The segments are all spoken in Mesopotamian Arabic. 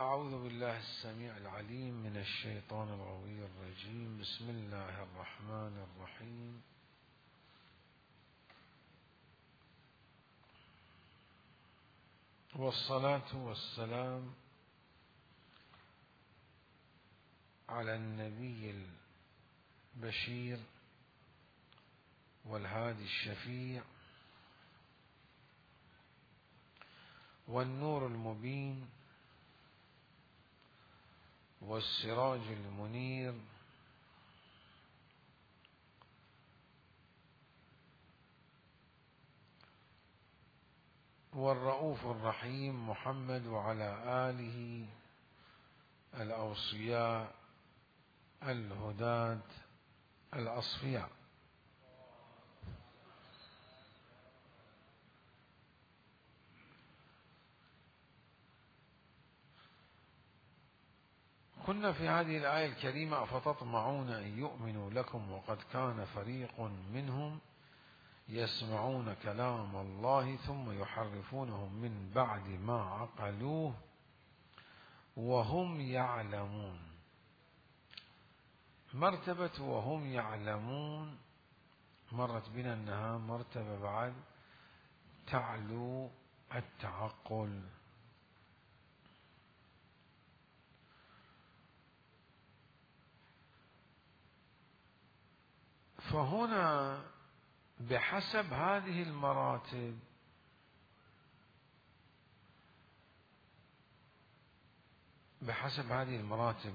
أعوذ بالله السميع العليم من الشيطان الغوي الرجيم. بسم الله الرحمن الرحيم. والصلاة والسلام على النبي البشير والهادي الشفيع والنور المبين والسراج المنير والرؤوف الرحيم محمد وعلى آله الأوصياء الهداة الأصفياء. كنا في هذه الآية الكريمة: أفتطمعون أن يؤمنوا لكم وقد كان فريق منهم يسمعون كلام الله ثم يحرفونه من بعد ما عقلوه وهم يعلمون. مرتبة وهم يعلمون مرت بنا أنها مرتبة بعد تعلو التعقل. فهنا بحسب هذه المراتب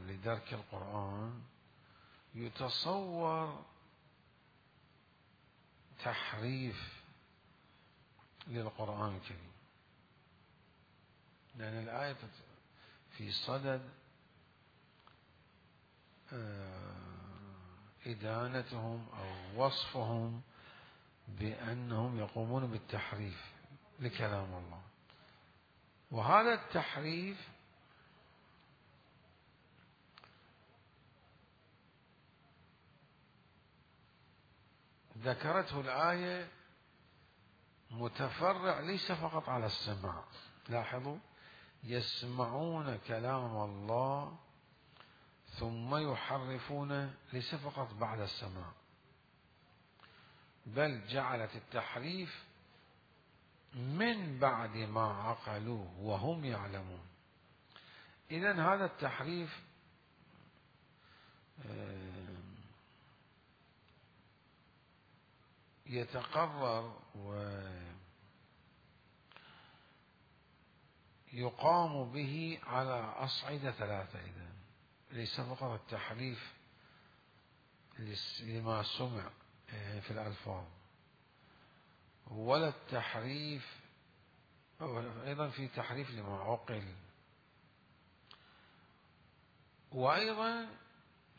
لدرك القرآن يتصور تحريف للقرآن الكريم، لأن الآية في صدد إدانتهم أو وصفهم بأنهم يقومون بالتحريف لكلام الله. وهذا التحريف ذكرته الآية متفرع ليس فقط على السماع. لاحظوا: يسمعون كلام الله ثم يحرفونه، ليس فقط بعد السماع، بل جعلت التحريف من بعد ما عقلوه وهم يعلمون. إذن هذا التحريف يتقرر ويقام به على أصعدة ثلاثة. إذن ليس فقط التحريف لما سمع في الألفاظ، ولا التحريف، أيضا في تحريف لما عقل، وأيضا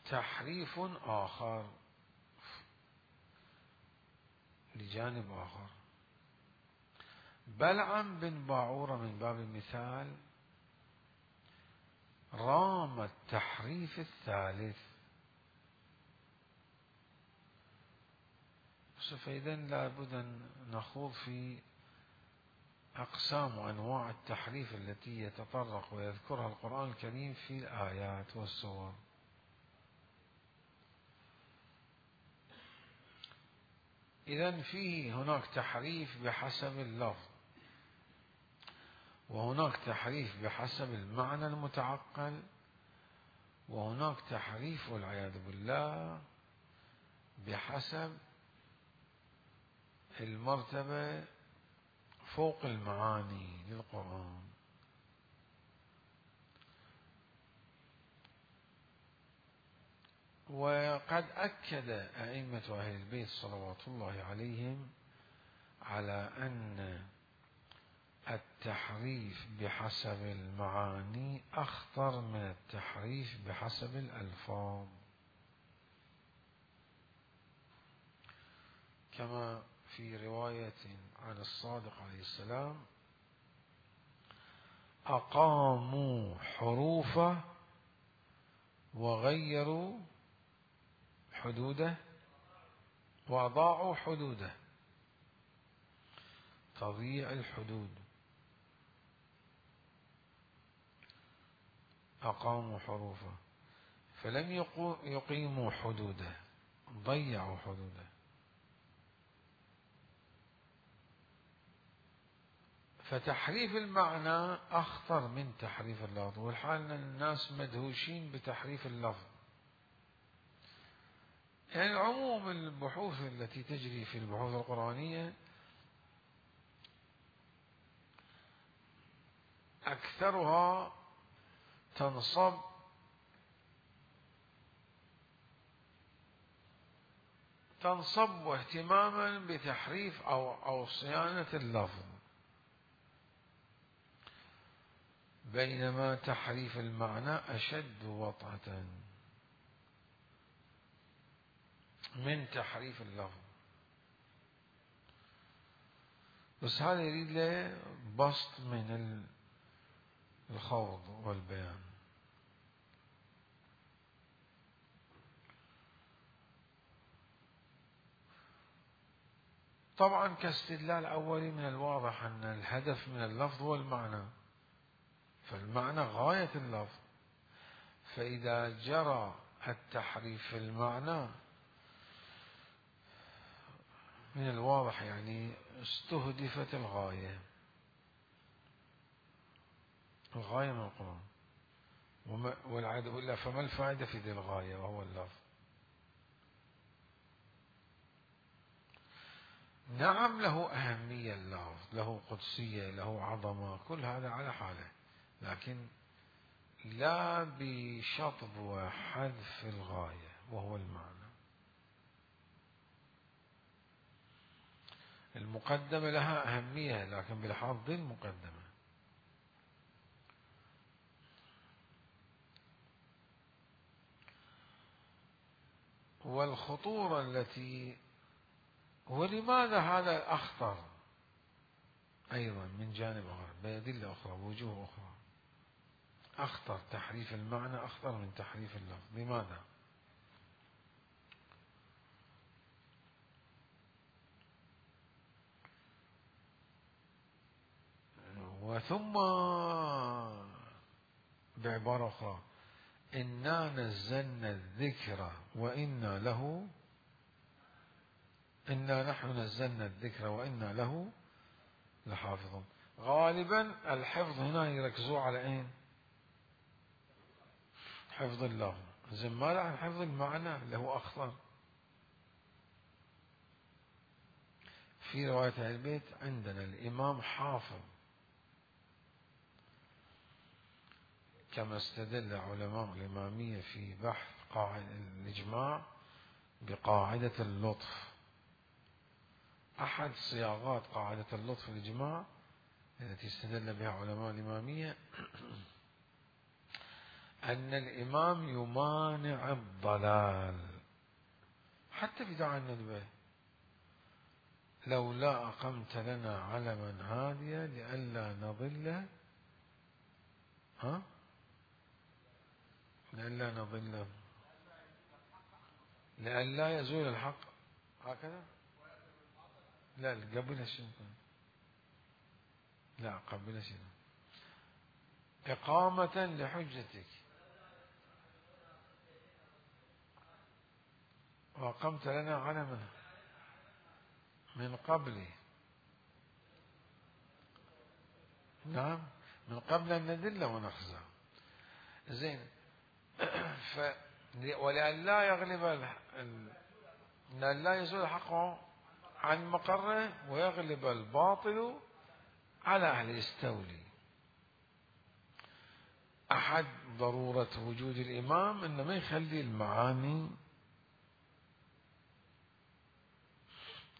تحريف آخر لجانب آخر. بلعم بن باعورة من باب المثال رام التحريف الثالث. فإذا لابد أن نخوض في أقسام وأنواع التحريف التي يتطرق ويذكرها القرآن الكريم في الآيات والسور. إذن فيه هناك تحريف بحسب اللفظ، وهناك تحريف بحسب المعنى المتعقل، وهناك تحريف والعياذ بالله بحسب المرتبة فوق المعاني للقرآن. وقد أكد أئمة أهل البيت صلوات الله عليهم على أن التحريف بحسب المعاني أخطر من التحريف بحسب الألفاظ، كما في رواية عن الصادق عليه السلام: أقاموا حروفه وغيروا حدوده وأضاعوا حدوده. تضييع الحدود. أقاموا حروفه فلم يقيموا حدوده، ضيعوا حدوده. فتحريف المعنى أخطر من تحريف اللفظ، والحال أن الناس مدهوشين بتحريف اللفظ. يعني عموم البحوث التي تجري في البحوث القرآنية أكثرها تنصب اهتماما بتحريف أو صيانة اللفظ، بينما تحريف المعنى أشد وطأة من تحريف اللفظ. بس هذا يريد له بسط من الخوض والبيان. طبعا كاستدلال أولي من الواضح أن الهدف من اللفظ هو المعنى، فالمعنى غاية اللفظ، فإذا جرى التحريف في المعنى من الواضح يعني استهدفت الغاية من القرآن، والعياذ بالله فما الفائدة في ذي الغاية وهو اللفظ؟ نعم له أهمية اللفظ، له قدسية، له عظمة، كل هذا على حاله، لكن لا بشطب وحذف الغاية وهو المعنى. المقدمة لها أهمية لكن بلحاظ المقدمة. والخطورة التي، ولماذا هذا أخطر أيضا من جانب آخر بأدلة أخرى بوجوه أخرى، أخطر تحريف المعنى أخطر من تحريف اللفظ. لماذا؟ وثم بعبارة أخرى إنا نزلنا الذكر إنا نحن نزلنا الذكر وإنا له لحافظون. غالبا الحفظ هنا يركزوا على أين؟ حفظ اللفظ، زين ماذا عن حفظ المعنى اللي هو أخطر؟ في رواية أهل البيت عندنا الإمام حافظ، كما استدل علماء الإمامية في بحث الإجماع بقاعدة اللطف. أحد صياغات قاعدة اللطف في الإجماع التي استدل بها علماء الإمامية أن الإمام يمانع الضلال حتى في دعاء الندبة، لولا أقمت لنا علما هاديا لئلا نضل لئلا يزول الحق، هكذا. لا قبل شنو؟ لا قبل شنو؟ إقامة لحجتك وأقمت لنا علما من قبل، نعم من قبل أن ندل ونخزى. زين ولئلا يغلب لا يزول الحق عن مقره ويغلب الباطل على أهل يستولي. أحد ضرورة وجود الإمام إنه ما يخلي المعاني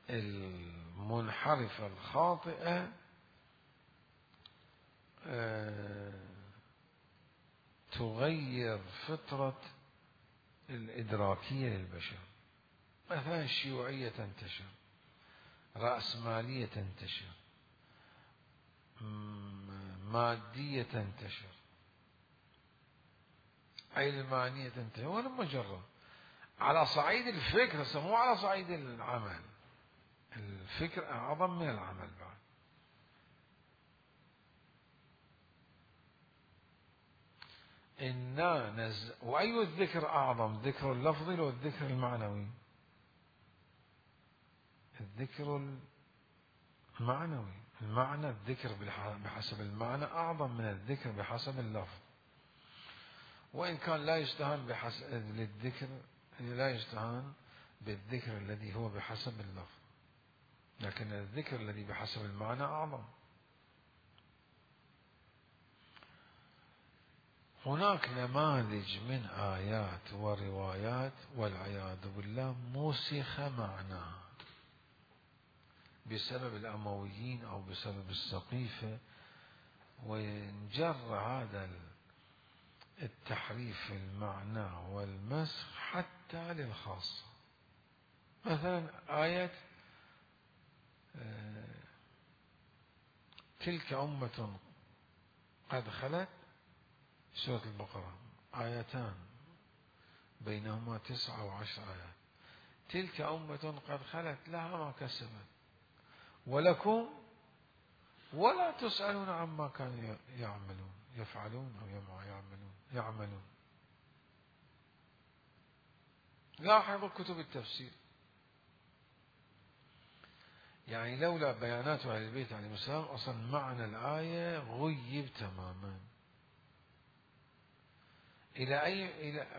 المنحرفة الخاطئة تغير فطرة الإدراكية للبشر. مثلا الشيوعية تنتشر، رأسمالية تنتشر، مادية تنتشر، علمانية تنتشر، ولا مجرد على صعيد الفكر، مو على صعيد العمل. الفكر أعظم من العمل بعد. وأي الذكر أعظم، الذكر اللفظي أو الذكر المعنوي؟ الذكر المعنوي. المعنى الذكر بحسب المعنى أعظم من الذكر بحسب اللفظ، وإن كان لا يستهان للذكر، لا يستهان بالذكر الذي هو بحسب اللفظ، لكن الذكر الذي بحسب المعنى أعظم. هناك نماذج من آيات وروايات والعياذ بالله مسخ معناها بسبب الأمويين أو بسبب السقيفة، وانجر هذا التحريف في المعنى والمسخ حتى للخاصة. مثلا آية تلك أمة قد خلت، سورة البقرة آيتان بينهما 9 و10 آيات. تلك أمة قد خلت لها ما كسبت ولكم ولا تسألون عما كانوا يفعلون أو يعملون. لاحظوا كتب التفسير، يعني لولا بيانات أهل البيت عليهم السلام أصلا معنى الآية غيب تماما.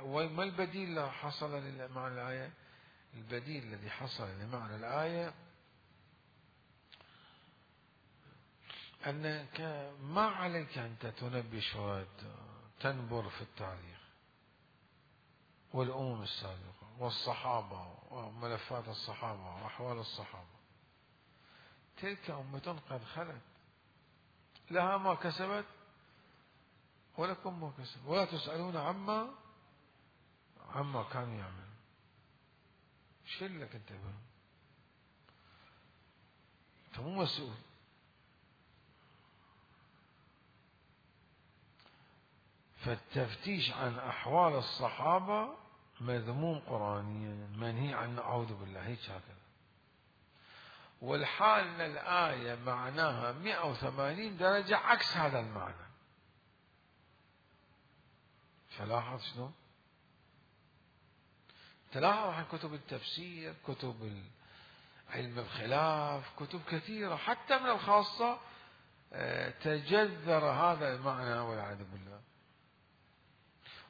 وما البديل اللي حصل لمعنى الآية؟ البديل الذي حصل لمعنى الآية أنك ما عليك أنت تنبش وتنبر في التاريخ والأمم السابقة والصحابة وملفات الصحابة وأحوال الصحابة. تلك أمة قد خلت لها ما كسبت ولكم ما كسبت ولا تسألون عما كانوا يعملون. شلك انت بهم، انت مو مسؤول. فالتفتيش عن أحوال الصحابة مذموم قرآنيا، منهي عنه، أعوذ بالله، هيك هكذا. والحال أن الآية معناها 180 درجة عكس هذا المعنى. فلاحظ شنو؟ تلاحظ عن كتب التفسير، كتب علم الخلاف، كتب كثيرة حتى من الخاصة تجذر هذا المعنى والعياذ بالله.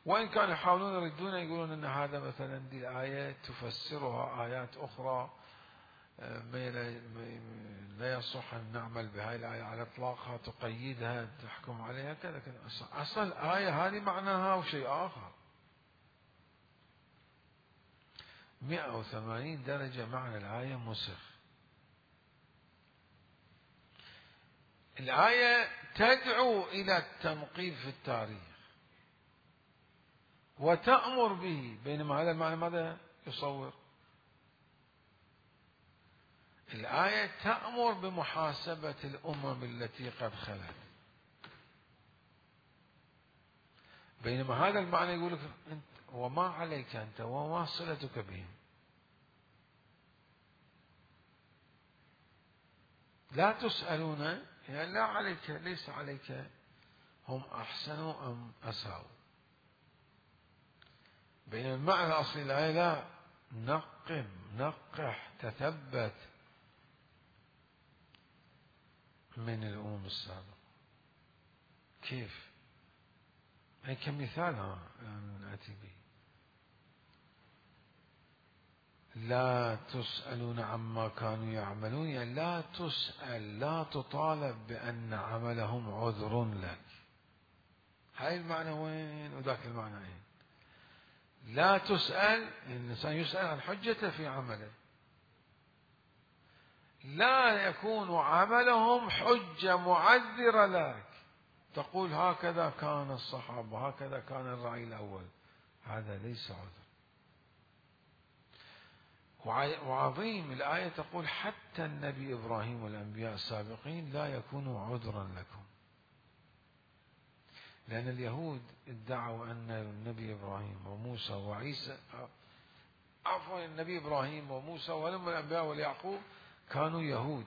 وإن كانوا يحاولون يردون، يقولون أن هذا مثلا دي الآية تفسرها آيات أخرى، لا يصح أن نعمل بهذه الآية على إطلاقها، تقيدها، تحكم عليها كذا كذا. أصل الآية هذه معناها وشيء آخر. 180 درجة معنى الآية مسخ. الآية تدعو إلى التنقيب في التاريخ وتأمر به، بينما هذا المعنى ماذا يصور؟ الآية تأمر بمحاسبة الأمم التي قد خلت، بينما هذا المعنى يقول لك أنت وما عليك أنت وما صلتك بهم، لا تسألون، يعني لا عليك، ليس عليك هم أحسنوا أم أساءوا. بين المعنى الأصلي الآية لا، نقح تثبت من الأمم السابقة. كيف؟ هي كمثال نأتي به. لا تسألون عما كانوا يعملون، يعني لا تسأل، لا تطالب بأن عملهم عذر لك. هاي المعنى وين وذاك المعنى وين؟ لا تسأل، الإنسان يسأل عن حجته في عمله، لا يكون عملهم حجة معذرة لك تقول هكذا كان الصحابة، هكذا كان الرعي الأول، هذا ليس عذر. وعظيم الآية تقول حتى النبي إبراهيم والأنبياء السابقين لا يكونوا عذرا لكم، لأن اليهود ادعوا أن النبي إبراهيم وموسى وعيسى، عفوا النبي إبراهيم وموسى ولم الأنبياء واليعقوب كانوا يهود.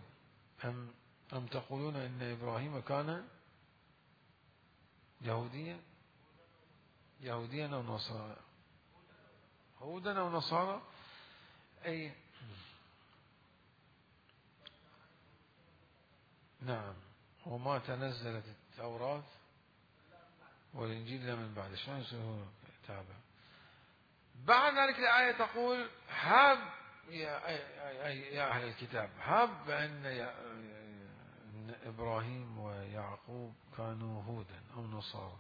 أم تقولون أن إبراهيم كان يهوديا؟ يهوديا أو نصارى، هودا أو نصارى. أي نعم. وما تنزلت التوراة والإنجيل إلا من بعد، شلون يصير تابع؟ بعد ذلك الآية تقول هب يا أهل الكتاب، هب أن إبراهيم ويعقوب كانوا هودا أو نصارى،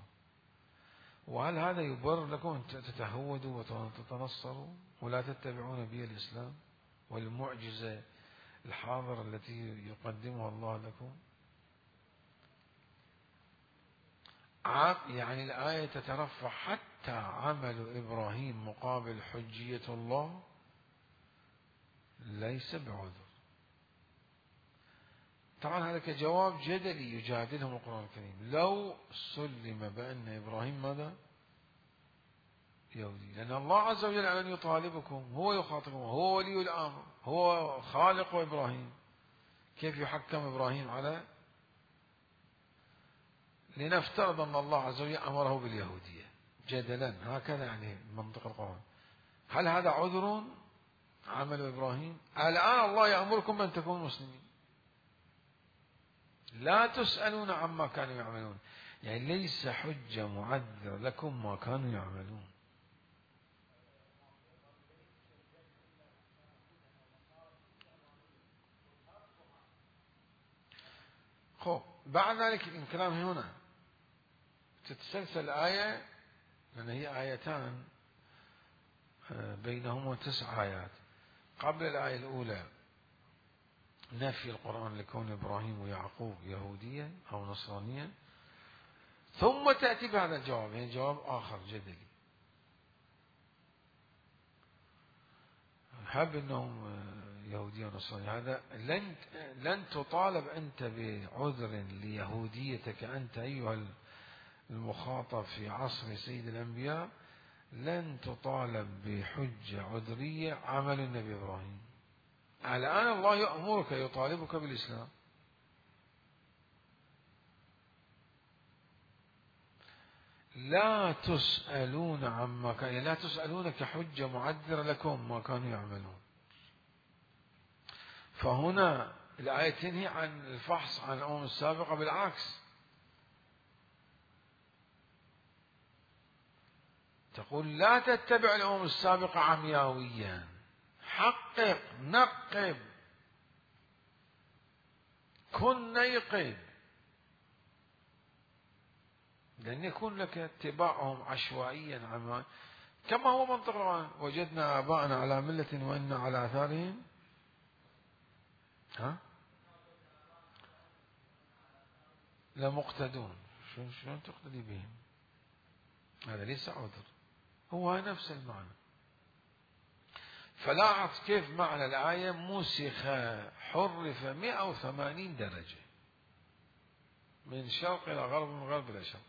وهل هذا يبرر لكم أن تتهودوا وتتنصروا ولا تتبعون بي الإسلام والمعجزة الحاضرة التي يقدمها الله لكم؟ يعني الآية تترفع حتى عمل إبراهيم مقابل حجية الله ليس بعذر. طبعا هذا كجواب جدلي يجادلهم القرآن الكريم. لو سلم بأن إبراهيم ماذا؟ يهودي، لأن الله عز وجل أن يطالبكم، هو يخاطبكم، هو ولي الأمر، هو خالق إبراهيم، كيف يحكم إبراهيم على؟ لنفترض أن الله عز وجل أمره باليهودية جدلا، هكذا يعني منطق القرآن. هل هذا عذر عمل إبراهيم؟ الآن الله يأمركم أن تكونوا مسلمين، لا تسألون عما كانوا يعملون، يعني ليس حجة معذر لكم ما كانوا يعملون. خب بعد ذلك الكلام هنا تتسلسل الآية، لأن هي آيتان بينهما 9 آيات. قبل الآية الأولى نفي القرآن لكون إبراهيم ويعقوب يهوديا أو نصرانيا، ثم تأتي بهذا الجواب، يعني جواب آخر جدلي، هب أنهم يهوديا ونصرانيا. هذا لن تطالب أنت بعذر ليهوديتك أنت أيها المخاطب في عصر سيد الأنبياء، لن تطالب بحجة عذرية عمل النبي إبراهيم. الآن الله يأمرك يطالبك بالإسلام. لا تسألون عما كان، لا تسألون كحجة معذرة لكم ما كانوا يعملون. فهنا الآية تنهي عن الفحص عن الأمم السابقة، بالعكس تقول لا تتبع الأمم السابقة عمياويا، حقق، نقب، كن نيقظ، لن يكون لك اتباعهم عشوائيا عما كما هو منطق القرآن، وجدنا آباءنا على ملة وإنا على آثارهم لمقتدون. شلون تقتدي بهم؟ هذا ليس عذر، هو نفس المعنى. فلاحظ كيف معنى الآية مسخ، حرف 180 درجة من شرق إلى غرب، من غرب إلى شرق.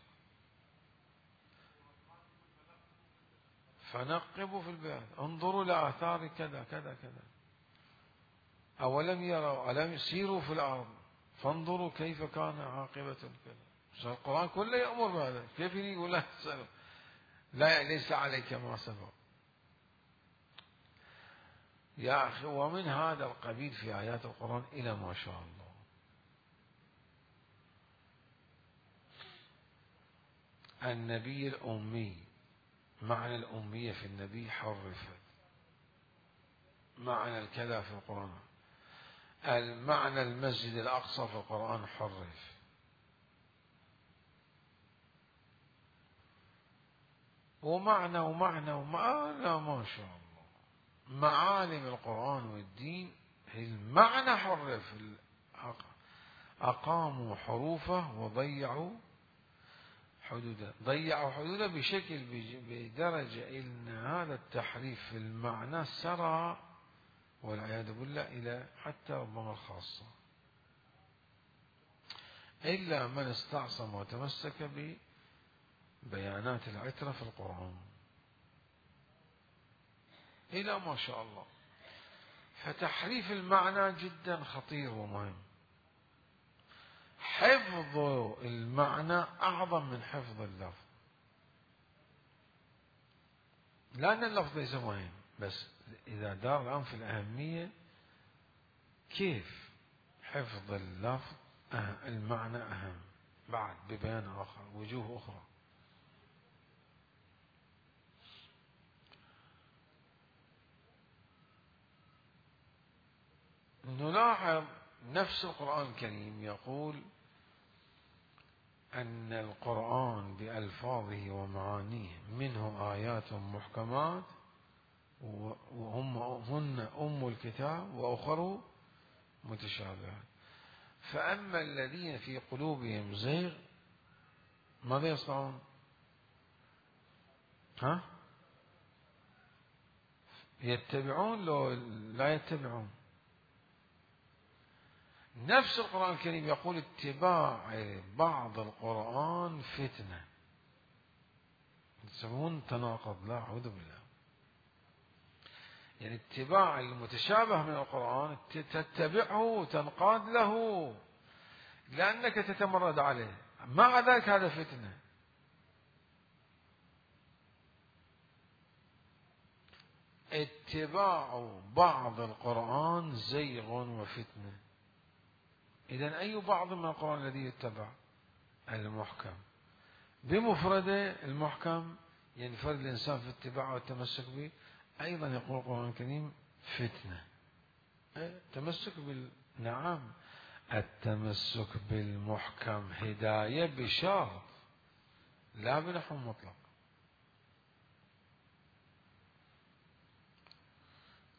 فنقبوا في البلاد، انظروا لآثار كذا كذا كذا، أولم يروا، ألم يسيروا في الأرض فانظروا كيف كان عاقبة كذا. القرآن كله يأمر بهذا، كيف يقول لا تسألوا، لا ليس عليك ما سبق يا أخي. ومن هذا القبيل في آيات القرآن إلى ما شاء الله. النبي الأمي، معنى الأمية في النبي حرفت، معنى الكذا في القرآن، المعنى المسجد الأقصى في القرآن حرف. ومعنى لا ما شاء الله، معالم القرآن والدين المعنى حرف، أقاموا حروفه وضيعوا حدوده، ضيعوا حدوده بشكل بدرجة إن هذا التحريف في المعنى سرى والعياذ بالله إلى حتى ربما الخاصة، إلا من استعصم وتمسك ببيانات العترة في القرآن إلى ما شاء الله. فتحريف المعنى جدا خطير ومهم. حفظ المعنى أعظم من حفظ اللفظ. لأن اللفظ ليس مهم، بس إذا دار الآن في الأهمية كيف حفظ اللفظ المعنى أهم بعد ببيان آخر، وجوه أخرى. نلاحظ نفس القرآن الكريم يقول أن القرآن بألفاظه ومعانيه منه آيات محكمات هن أم الكتاب وأخر متشابهات، فأما الذين في قلوبهم زيغ ماذا يصنعون؟ يتبعون لو لا يتبعون. نفس القرآن الكريم يقول اتباع بعض القرآن فتنة. يسمون تناقض، لا أعوذ بالله. يعني اتباع المتشابه من القرآن تتبعه وتنقاد له لأنك تتمرد عليه، مع ذلك هذا فتنة. اتباع بعض القرآن زيغ وفتنة. إذن أي بعض من القرآن الذي يتبع؟ المحكم بمفرده. المحكم ينفرد الإنسان في اتباعه والتمسك به. أيضا يقول القرآن الكريم فتنة. تمسك نعم، التمسك بالمحكم هداية بشرط لا بنحو مطلق.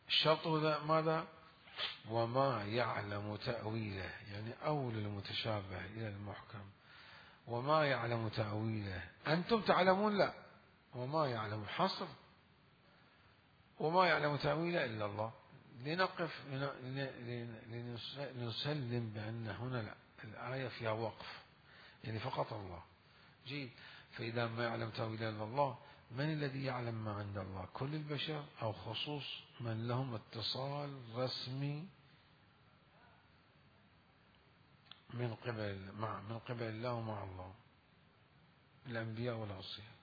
الشرط ماذا؟ وما يعلم تأويله، يعني أول المتشابه إلى المحكم. وما يعلم تأويله أنتم تعلمون؟ لا، وما يعلم حصر، وما يعلم تأويله إلا الله. لنقف لنسلم بأن هنا لا، الآية فيها وقف، يعني فقط الله. جيد، فإذا ما يعلم تأويله إلا الله، من الذي يعلم ما عند الله؟ كل البشر أو خصوص من لهم اتصال رسمي من قبل الله ومع الله، الأنبياء والأوصياء.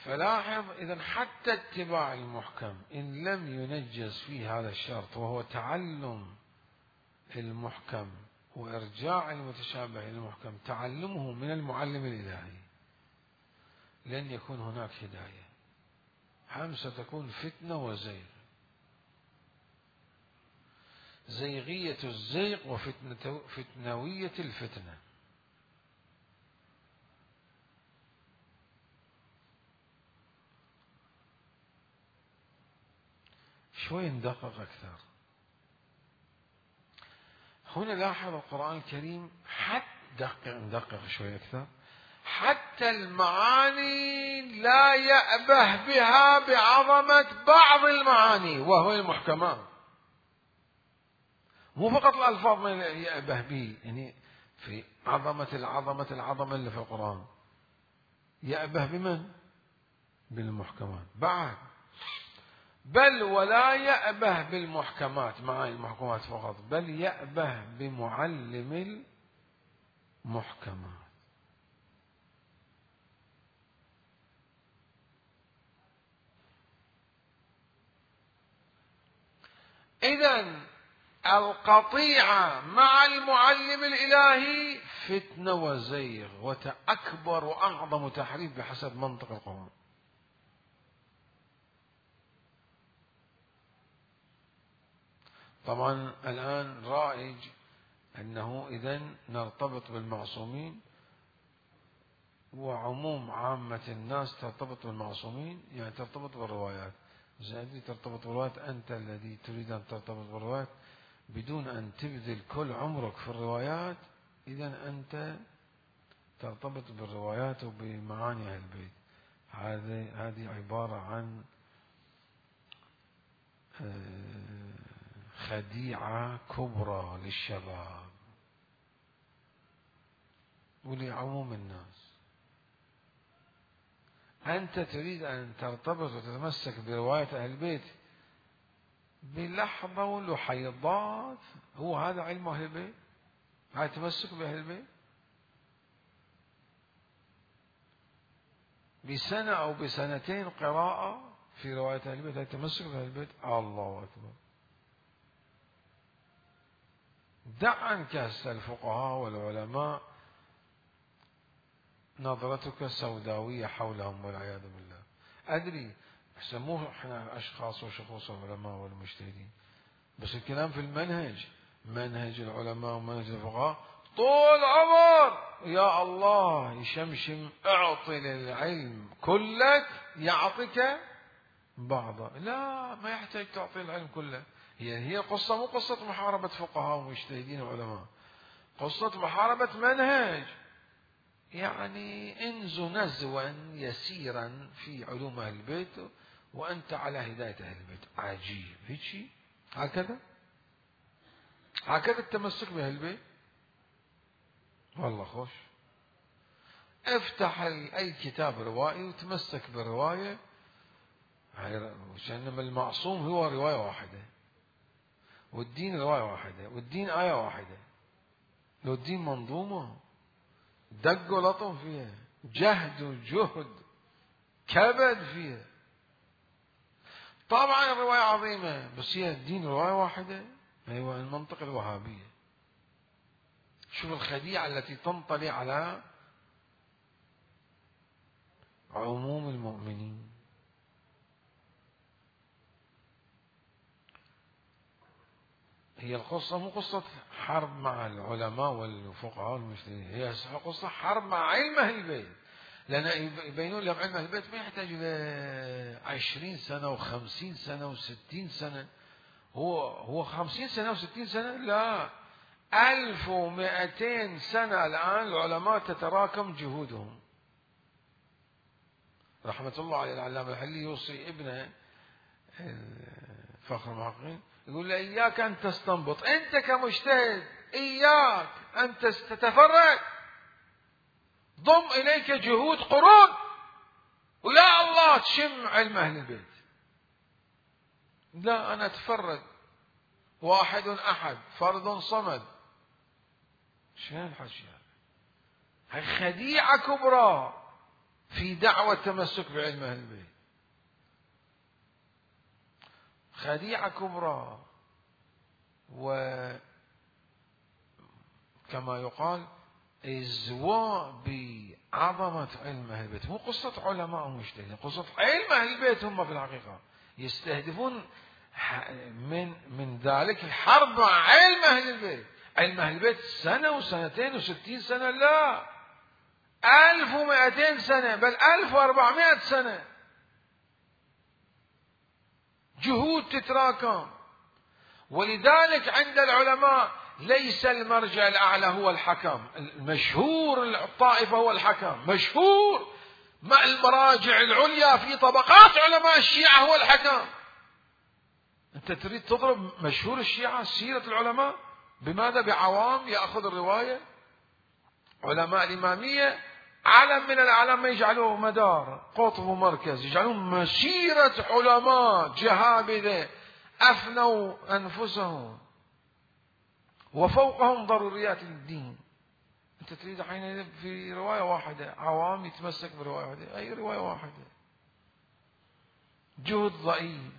فلاحظ إذن حتى اتباع المحكم إن لم ينجز فيه هذا الشرط، وهو تعلم المحكم وإرجاع المتشابه إلى المحكم، تعلمه من المعلم الإلهي، لن يكون هناك هداية. ستكون فتنة وزيغ، زيغية الزيغ وفتنوية الفتنة. شوي ندقق أكثر. هنا لاحظ القرآن الكريم ندقق شوي أكثر. حتى المعاني لا يأبه بها بعظمة بعض المعاني وهو المحكمات، مو فقط الألفاظ ما يأبه به، يعني في العظمة اللي في القرآن يأبه بمن؟ بالمحكمات بعد. بل ولا يأبه بالمحكمات، معاني المحكمات فقط، بل يأبه بمعلم المحكمات. إذن القطيعة مع المعلم الإلهي فتنة وزيغ وأكبر وأعظم تحريف بحسب منطق القرآن. طبعا الآن رائج أنه إذن نرتبط بالمعصومين، وعموم عامة الناس ترتبط بالمعصومين، يعني ترتبط بالروايات. زين، ترتبط بالروايات، أنت الذي تريد أن ترتبط بالروايات بدون أن تبذل كل عمرك في الروايات، إذن أنت ترتبط بالروايات وبمعاني أهل البيت. هذه عبارة عن خديعة كبرى للشباب ولعموم الناس. أنت تريد أن ترتبط وتتمسك برواية أهل البيت بلحظة ولحيضات، هو هذا علم أهل البيت؟ هذا تمسك بأهل البيت؟ بسنة أو بسنتين قراءة في رواية أهل البيت، التمسك بأهل البيت، الله أكبر. دع عنك هسه الفقهاء والعلماء نظرتك سوداوية حولهم والعياذ بالله. أدري يسموه احنا أشخاص وشخوص العلماء والمجتهدين، بس الكلام في المنهج، منهج العلماء ومنهج الفقهاء طول عمر يا الله يشمشم اعطي للعلم كلك يعطيك بعضه. لا، ما يحتاج تعطي العلم كله. هي قصة مو قصة محاربة فقهاء ومجتهدين وعلماء، قصة محاربة منهج. يعني انزو نزوا يسيرا في علوم أهل البيت وأنت على هداية أهل البيت. عجيب هيك هكذا التمسك بأهل البيت. والله خوش. افتح أي كتاب روائي وتمسك بالرواية، إنما المعصوم هو رواية واحدة، والدين رواية واحدة، والدين آية واحدة. لو الدين منظومة دق ولطم فيها، جهد وجهد كبد فيها. طبعا الرواية عظيمة، بس هي الدين رواية واحدة. أيوة، المنطق الوهابية. شوف الخديعة التي تنطلي على عموم المؤمنين. هي القصة مو قصة حرب مع العلماء والفقهاء والمجتهدين، هي قصة حرب مع علم أهل البيت. لأن يبينون لهم علم أهل البيت ما يحتاج إلى 20 سنة و50 سنة و60 سنة. هو 50 سنة و60 سنة؟ لا، 1200 سنة الآن العلماء تتراكم جهودهم. رحمة الله عليه العلامة الحلي يوصي ابنه فخر المحققين، يقول له إياك أن تستنبط، أنت كمجتهد إياك أن تتفرد، ضم إليك جهود قرون ويا الله تشم علم أهل البيت. لا، أنا أتفرد، واحد أحد، فرد صمد. شنو الحكي هذا؟ هاي خديعة كبرى في دعوة التمسك بعلم أهل البيت، خديعة كبرى. وكما يقال ازواء بعظمة علم أهل البيت. مو قصة علماء ومجتهدين، قصة علم أهل البيت هم في الحقيقة يستهدفون من ذلك الحرب مع علم أهل البيت. علم أهل البيت سنة وسنتين و60 سنة؟ لا، 1200 سنة، بل 1400 سنة. جهود تتراكم. ولذلك عند العلماء ليس المرجع الأعلى هو الحكم، المشهور الطائفة هو الحكم، مشهور. مع المراجع العليا في طبقات علماء الشيعة هو الحكم. أنت تريد تضرب مشهور الشيعة سيرة العلماء بماذا؟ بعوام يأخذ الرواية. علماء الإمامية علم من الأعلام ما يجعلوه مدار قطب ومركز، يجعلوه مسيرة علماء جهابذة أفنوا أنفسهم وفوقهم ضروريات الدين. أنت تريد حين في رواية واحدة عوام يتمسك برواية واحدة، أي رواية واحدة، جهد ضئيل،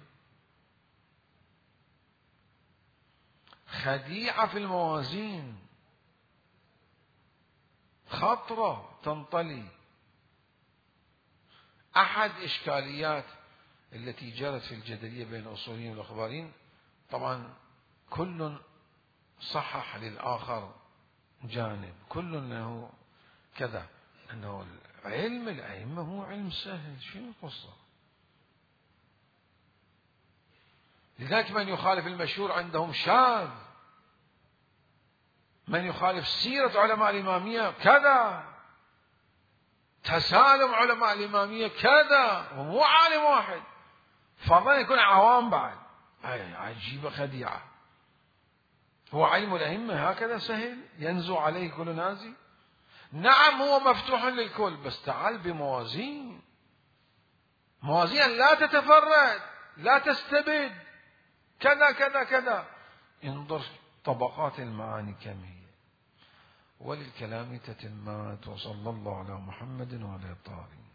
خديعة في الموازين، خطرة تنطلي. أحد إشكاليات التي جرت في الجدلية بين الأصوليين والأخباريين، طبعا كل صحح للآخر جانب، كل له كذا، أنه علم الأئمة هو علم سهل، شنو القصة؟ لذلك من يخالف المشهور عندهم شاذ، من يخالف سيرة علماء الإمامية كذا، تسالم علماء الإمامية كذا، ومو عالم واحد، فضلا يكون عوام بعد. عجيبة خديعة. هو علم الأئمة هكذا سهل ينزو عليه كل نازي؟ نعم هو مفتوح للكل، بس تعال بموازين، موازين لا تتفرد، لا تستبد، كذا كذا كذا. انظر طبقات المعاني كم هي. وللكلام تتمات. وصلى الله على محمد وعلى الطاهرين.